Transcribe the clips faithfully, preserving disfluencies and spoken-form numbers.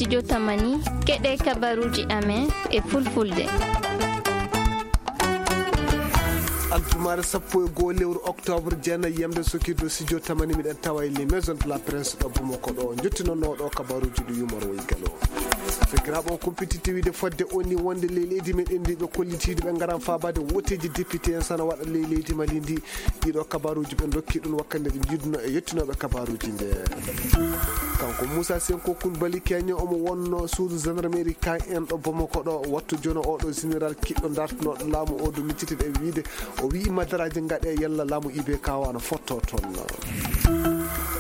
Studio Tamani, keɗe kabaruuji amen e fulfulde. Aljumaare sappo e goo lewru oktoobre, jeenayi yamde sokirde Studio Tamani, miɗen tawa e les maisons de la presse ɗo Bamako ɗo. Njottinono ɗo kabaruuji ɗi yumor woyi galo. Sakiraaɓe, on kumpititte wiide fodde o ni wonde ley leydi meɗen ndi ɓe kollitiiɗo ɓe ngaran faabaade woteeji député en sana waɗa ley leydi Mali ndi. Ɗiɗo kabaruuji ɓe ndokki ɗum wakkande ɓe njiiduno e yettinooɓe kabaruuji nde. Kanko Moussa Senko Koulibaly Kenya, omo wonno suudu gendarmerie K M ɗo Bamako ɗo, wattu jono oɗo général kiɗɗo dartinoɗo laamu o do miccitide e wiide o wi'i madaraaji ngaɗe yalla laamu I B K o ana fotto toon.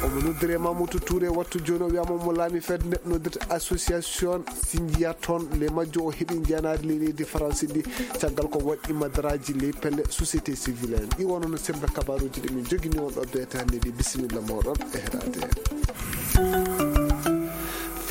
Omo noddire Mamoudou Touré, wattu jooni o wiyama omo laami fedde nde noddirta association Sinjiya toon, le majjo o heɓi njeenaari ley leydi Faransi ndi, caggal ko waɗi madaraaji ley pelle société civile en. Ɗi wono no sembe kabaruuji ɗi min jogini on ɗo beetaande ɗi. Bisimilla moɗon e heɗaade.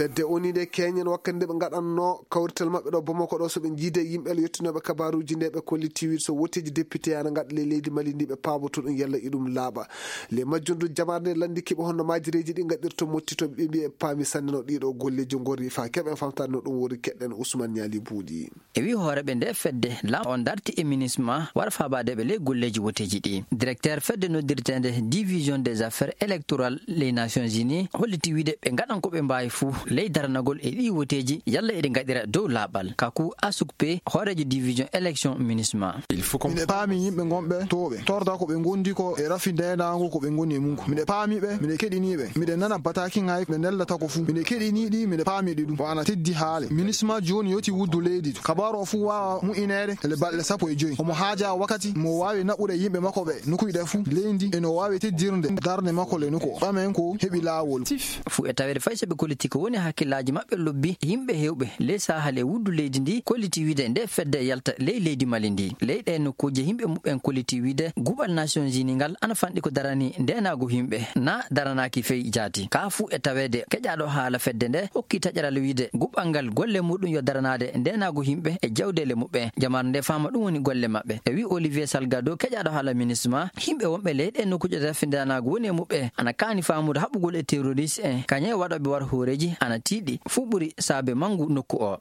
Fedde o ni nde keñen wakkati nde ɓe ngaɗanno kawrital maɓɓe ɗo Bamako ɗo, so ɓe jiide yimɓe le yettinooɓe kabaruuji nde ɓe kolliti wiide so woteeji député ana ngaɗa ley leydi Mali ndi ɓe paaboto ɗum yalla iɗum laaɓa. Le majjum du jamaare nde lanndiki ɓe honno maajireeji ɗi ngaɗirto mottito ɓe mbiya ɓe paami sanne no ɗiɗo golleeji ngorri fa keɓen famtaade no ɗum wori keɗen Ousmane Niali Buuɗi. E wi hooreɓe nde fedde lam on darti e minisma wara faabaade ɓe ley golleeji woteeji ɗi. Directeur fedde noddirteende division des affaires électorales les Nations Unies holliti wiide ɓe ngaɗan ko ɓe mbaawi fuu ley daranagol e ɗi woteeji yalla eɗi ngaɗira dow laaɓal. Kaku Asukpe, hooreejo division élection minisma. Miɗe paami yimɓe ngonɓe tooɓe torda ko ɓe ngondi ko e rafi ndenaango ko ɓe ngoni e mum ko. Miɗe paami ɓe, miɗe keɗini ɓe, miɗe nana bataki ŋaay ɓe nellata ko fuu. Miɗe keɗini ɗi, miɗe paami ɗi ɗum. Ko ana teddi haale. Minisma jooni yoti wuddu leydi to. Kabaaru o fuu waawa mu'ineede ele balɗe sappo e joy. Omo haaja wakkati mo waawi naɓude yimɓe makko ɓe nokuyɗe fuu leydi e no waawi teddirde darnde makko le nokku o. Ɓamen ko heɓi laawol. Fuu e taweede fay so ɓe kolliti ko woni hakkillaaji maɓɓe lobbi, yimɓe heewɓe ley sahal e wuddu leydi ndi kolliti wiide nde fedde yalta ley leydi Mali ndi. Ley ɗe nokkuuje yimɓe muɓɓen kolliti wiide guɓal Nations Unies ngal ana fanɗi ko darani ndenaagu yimɓe na daranaaki fey jaati. Ka fuu e taweede keƴaaɗo haala fedde nde hokki taƴaral wiide guɓal ngal golle muɗum yo daranaade ndenaagu yimɓe e jawdeele muɓɓen. Jamaare nde faama ɗum woni golle maɓɓe. E wi Olivier Salgado, keƴaaɗo haala minisma, yimɓe wonɓe ley ɗe nokkuuje tafindanaagu woni e muɓɓe ana kaani faamude haɓugol e terroriste en, kañum e waɗooɓe war hooreeji ana tiiɗi. Fuu ɓuri saabe manngu nokku o.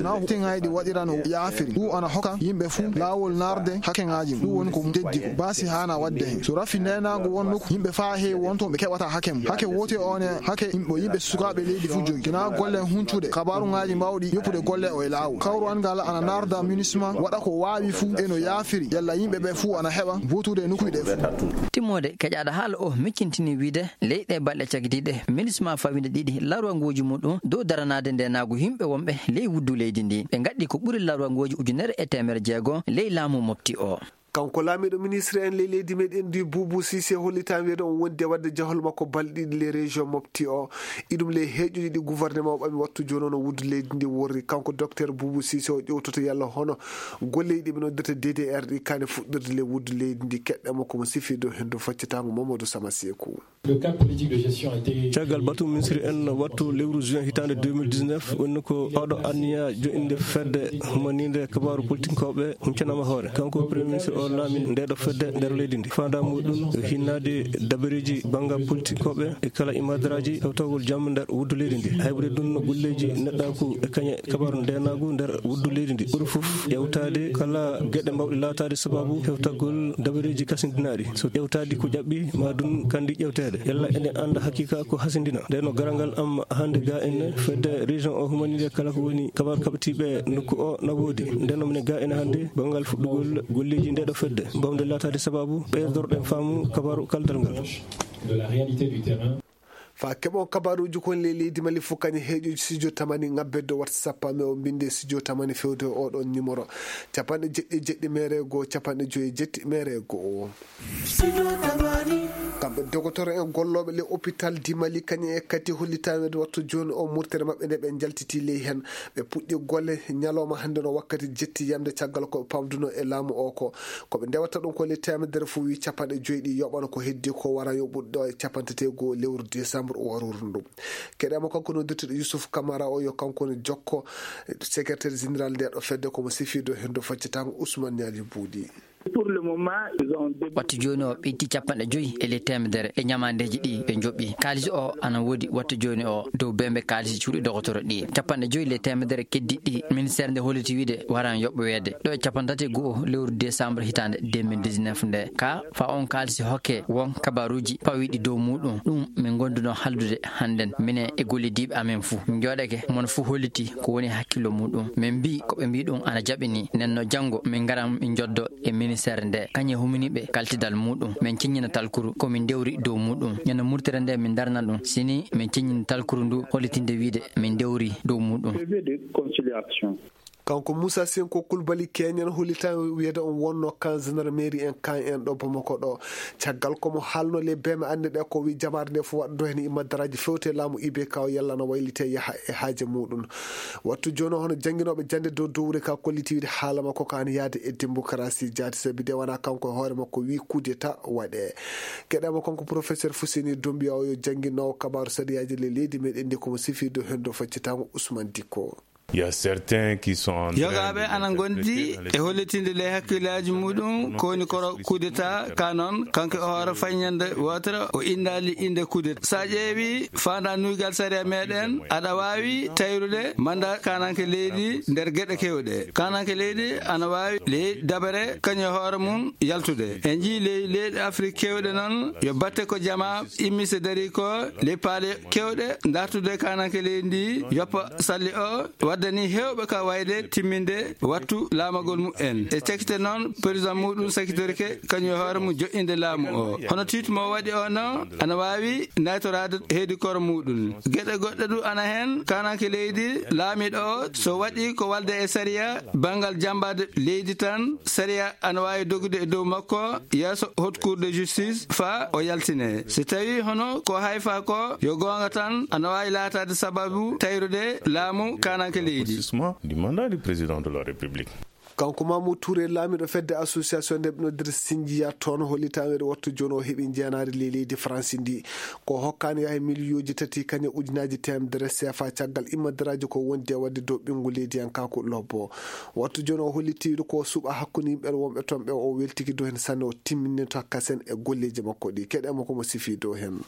Na tiŋayɗi waɗira no yaafiri. Ɗum ana hokka yimɓe fuu laawol narde hakkeŋaaji mum. Ɗum woni ko teddi ko. Baasi haana waɗde heen. So rafi ndenaango won nokku, yimɓe faa heewi won toon ɓe keɓata hakke mum. Hakke woote on e hakke yimɓe, yimɓe sukaaɓe leydi fuu jogi. Kina golle huncuɗe, kabaruŋaaji mawɗi, yoppude golle o e laawol. Kawru an ngal ana narda minisma, waɗa ko waawi fuu e no yaafiri. Yalla yimɓe ɓe fuu ana heɓa bootude e nokkuuji ɗe fuu. Timmoode keƴaaɗo haala o miccintini wiide ley ɗe balɗe cagitiiɗe, minisma fawinde ɗiɗi larwangooji muɗum dow daranaade ndenaagu yimɓe wonɓe ley wuddu leydi ndi. Ɓe ngaɗɗi ko ɓuri larwangooji ujunere e teemere jeego ley laamu mofti o. Kanko laamiiɗo ministre en ley leydi meɗen ndi, Boubou Cissé, hollitaama wiyeede on wondi e waɗde jahol makko balɗe ɗiɗi ley région mofti o. Iɗum ley heeƴuji ɗi gouvernement o ɓami wattu jooni o no wuddu leydi ndi worri. Kanko docteur Boubou Cissé o ƴewtoto yalla hono golleeji ɗi ɓe noddirta D D R ɗi kaani fuɗɗirde ley wuddu leydi ndi. Keɗɗe makko mo sifi dow henndu faccitaango Mamadou Sama Seeku. Le cadre politique de gestion a été Caggal batu ministre en wattu lewru juin hitaande deux mille dix-neuf, woni ko oɗo anniya joɗɗinde fedde humaniinde kabaaru politinkooɓe huncanaama hoore. Kanko premier ministre o laami ndeɗo fedde nder leydi ndi. Faandaa muɗum hinnaade dabareeji banngal politinkooɓe e kala imadaraaji hewtagol jam nder wuddu leydi ndi. Haybude ɗum no golleeji neɗɗaaku e kañe kabaaru ndenaagu nder wuddu leydi ndi. Ɓuri fof ƴewtaade kala geɗe mbawɗe laataade sababu hewtagol dabareeji kasindinaaɗi. So ƴewtaadi ko ƴaɓɓi, ma ɗum kandi ƴewteede. Yalla eɗen annda haqiqa ko hasindina. Ndeno garal ngal am hannde ga en fedde région o humanide kala ko woni kabaaru kaɓitiiɓe nokku o na woodi. Ndeno minen ga en hannde banngal fuɗɗugol golleeji ndeɗo fedde. Mbawde laataade sababu ɓeydorɗen faamu kabaaru kaldal ngal. De la réalité du terrain. Fa keɓon kabaruuji kon ley leydi Mali fof kañum heeƴuji studio Tamani ŋabbedde watta sappo me o mbinde studio Tamani fewde oɗon numéro capanɗe jeɗɗi e jeɗɗi mere e goo, capanɗe joyi e jeɗɗi mere e goo. Kamɓe dogotoro en gollooɓe le hôpital di Mali kañum e kadi hollitaweede wattu jooni o murtere maɓɓe nde ɓe njaltiti ley heen. Ɓe puɗɗi golle ñalawma hannde no wakkati jetti yamde caggal ko ɓe pamduno e laamu o ko. Ko ɓe ndewata ɗum ko le teemedere fof wi capanɗe joyi ɗi yoɓano ko heddi ko wara yoɓude ɗo e capanɗe tati e goo lewru décembre o waruru ndu. Keɗama kanko noddirteɗo Youssouf Camara o yo kanko ne jokko secrétaire général nde ɗo fedde komo sifido hendo faccatango Ousmane Niali Buuɗi. Pour le moment, ils ont débloqué. Wattu jooni o ɓeydii capanɗe joyi e ley teemedere e ñamaandeeji ɗi ɓe njoɓi. Kaalisi o ana woodi wattu jooni o dow bembe kaalisi cuuɗi dogotoro ɗi. Capanɗe joyi ley teemedere keddiiɗi ɗi ministeer nde holliti wiide waran yoɓoweede ɗo e capanɗe tati e go'o lewru décembre hitaande deux mille dix-neuf nde. Ka fa on kaalisi hokke won kabaruuji pawiiɗi dow muuɗum. Ɗum min ngonduno haldude hannden minen e gollidiiɓe amen fuu. Njooɗake mon fuu holliti ko woni hakkillo muuɗum. Min mbii ko ɓe mbii ɗum ana jaɓini. Nden no janngo min ngaran min njoddo e ministeer nde kañum e huminiiɓe kaltidal muuɗum. Min ceññina talkuru ko min ndewri dow muuɗum. Ñande murtere nde min ndarna ɗum. Sini min ceññini talkuru ndu hollitinde wiide min ndewri dow muuɗum. Prévu de conciliation. Kanko Moussa Senko Koulibaly Keñen hollita wiyeede on wonno kan gendarmerie en kan en ɗo Bamako ɗo. Caggal ko mo haalno le beme annde ɗe ko wi jamaare nde fof waɗdo heen immadaraaji fewte laamu I B K o yalla na waylite yaha e haaje muuɗum. Wattu jooni hono jannginooɓe jannde dow dowre ka kolliti wiide haala makko ko an yaade e démocratie jaati sabi de wona kanko e hoore makko wi coup d'état waɗe. Keɗama kanko professeur Fuseni Dombiya o yo jannginoowo kabaaru sariyaaji le leydi meɗen ndi ko mo sifi dow heen dow faccitaango Ousmane Dicko. Il y a certains qui sont en train Yogaaɓe de ana ngondi l'interpréter dans les e hollitinde ley hakkillaaji muuɗum ko woni koro coup d'état ka noon kanko e hoore fayñande wootere o indaali innde coup d'état. So a ƴeewi faandaa nuygal sariya meɗen aɗa waawi tayrude manda kananke leydi nder geɗe kewɗe. Kananke leydi ana waawi ley dabere kañum e hoore mum yaltude. En njii ley leyɗe Afrik kewɗe noon yo batte ko jama immise dari ko ley paale kewɗe dartude kananke leydi ndi yoppa salli o waddani heewɓe ka wayde timminde wattu laamagol mumen. E cakite noon président muɗum sakitorike kañum e hoore mum joƴƴinde laamu o. Hono titre mo waɗi o no ana waawi naytoraade heedi koro muɗum. Geɗe goɗɗe du ana heen kananke leydi laamiɗo o so waɗi ko walde e sariya banngal jambaade leydi tan sariya ana waawi dogude e dow makko yeeso haute cour de justice fa o yaltine. Si tawi hono ko hayfa ko yo goonga tan ana waawi laataade sababu tayrude laamu kananke leydi. Durcissement du mandat du président de la République. Kanko Mamoudou Touré laamiɗo fedde association nde ɓe noddirta Sinjiya toon hollitaweede wattu jooni o heɓi njeenaari ley leydi France ndi. Ko hokkaani yaha e miliyooji tati kañum ujunaaji teemedere seefa caggal immadaraaji ko wondi e waɗde dow ɓinngu leydiyankaaku lobbo. Wattu jooni o holliti ko suɓa hakkunde yimɓe wonɓe toon ɓe o weltiki dow heen sanne o timminto kasen e golleeji makko ɗi keɗe mo ko mo sifi dow heen.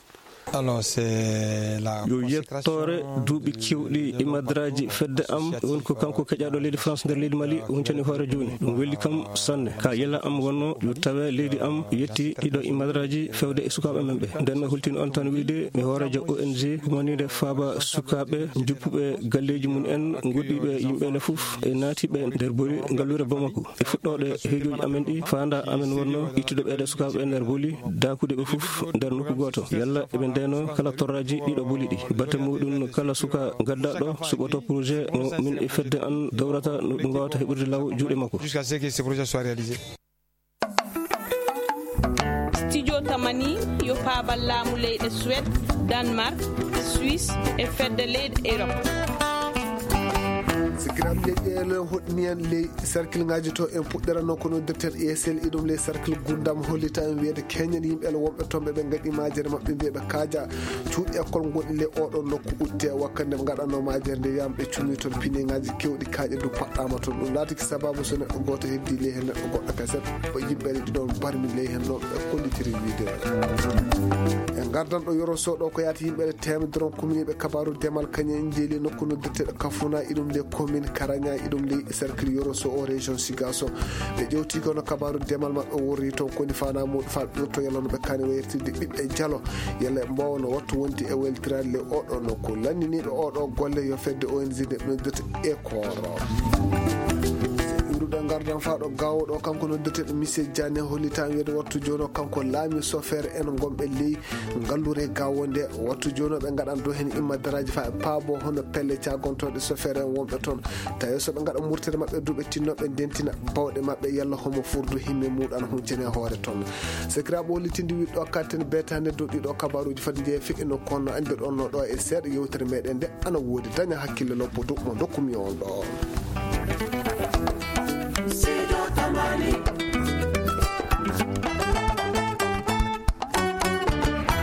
Alors, c'est la yo yettoore duuɓi kewɗi e madraji fedde am woni ko kanko keƴaɗo leydi France nder leydi Mali huncani hoore jooni ɗum welli kam sanne ka yela am wonno yo tawe leydi am yetti ɗiɗo e madraji fewde e sukaaɓe men ɓe nden no hultini on tan wiide mi hoorejo O N G humanide faaba sukaaɓe juppuɓe galleji mum en goɗɗiɓe yimɓe ne fof e naatiɓe nder bori ngallure Bamako e fuɗɗoɗe heejoji amen ɗi faanda amen wonno ittude ɓeɗe sukaaɓe nder boli dakude ɓe fof nder nokku goto yalla eɓe ndeno kala torraji ɗiɗo boli ɗi batte muɗum kala suka gaddaɗo suɓoto projet mo min e fedde an dowrata no ɗum wawata heɓude law juuɗe makko. Jusqu'à ce que ce projet soit réalisé. Studio Tamani yo paabal laamu leyɗe Suède, Danemark, Suisse e fedde leyɗe Europe. Sikkiram leyɗe hoɗni en ley cercle ngaji to en puɗɗirano kono docteur E S L iɗum ley cercle gundam hollita en wiyede keñen yimɓe wonɓe tomɓe ɓe gaɗi majere maɓɓe mbiyeɓe kaaja cuuɗi école gonɗi ley oɗo nokku utte wakkande ɓe gaɗanno majere nde wiyama ɓe cumi toon piniŋaji kewɗi kaaƴe du paɗɗama toon ɗum laatiki sababu so neɗɗo goto heddi ley hen neɗɗo goɗɗo kaset o yimɓe ɗiɗon barmi ley hen no ɓe kollitiri wiide en gardan ɗo yoro soɗo ko yaati yimɓe temedere on kuminiɓe kabaru demal kañum en jeeli nokku noddirteɗo kafuna iɗum nde commune karaña iɗum ley cercle yoro so o région sigaso ɓe ƴewti kono kabaru demal maɓɓe worri toon koni fana muɗum fa ɓirto yalla no ɓe kani wayirtirde ɓiɓɓe jalo yalla ɓe mbawa no wattu wonti e weltirade le oɗo nokku lanniniɓe oɗo golle yo fedde O N G nde noddirta e kooro iruɗen gardan fa ɗo gawoɗo kanko noddirteɗo monsieur Diané hollita wiyede wattu jono kanko laami sofere en gonɓe ley ngallure gawo nde wattu jono ɓe gaɗan dow hen imma daraji fa e paabo hono pelle cagontoɗe sofere en wonɓe toon tawi soɓe gaɗa murtere maɓɓe duuɓe tinnoɓe ndentina bawɗe maɓɓe yalla homo furdu himme muɗan huncene hoore toon sekiraɓe hollitinde wiɗɗo katten betande dow ɗiɗo kabaruji fati jeeya feƴƴino kono andirɗon no ɗo e seeɗa yewtere meɗen nde ana woodi daña hakkille loppoto mo dokkumi on ɗo.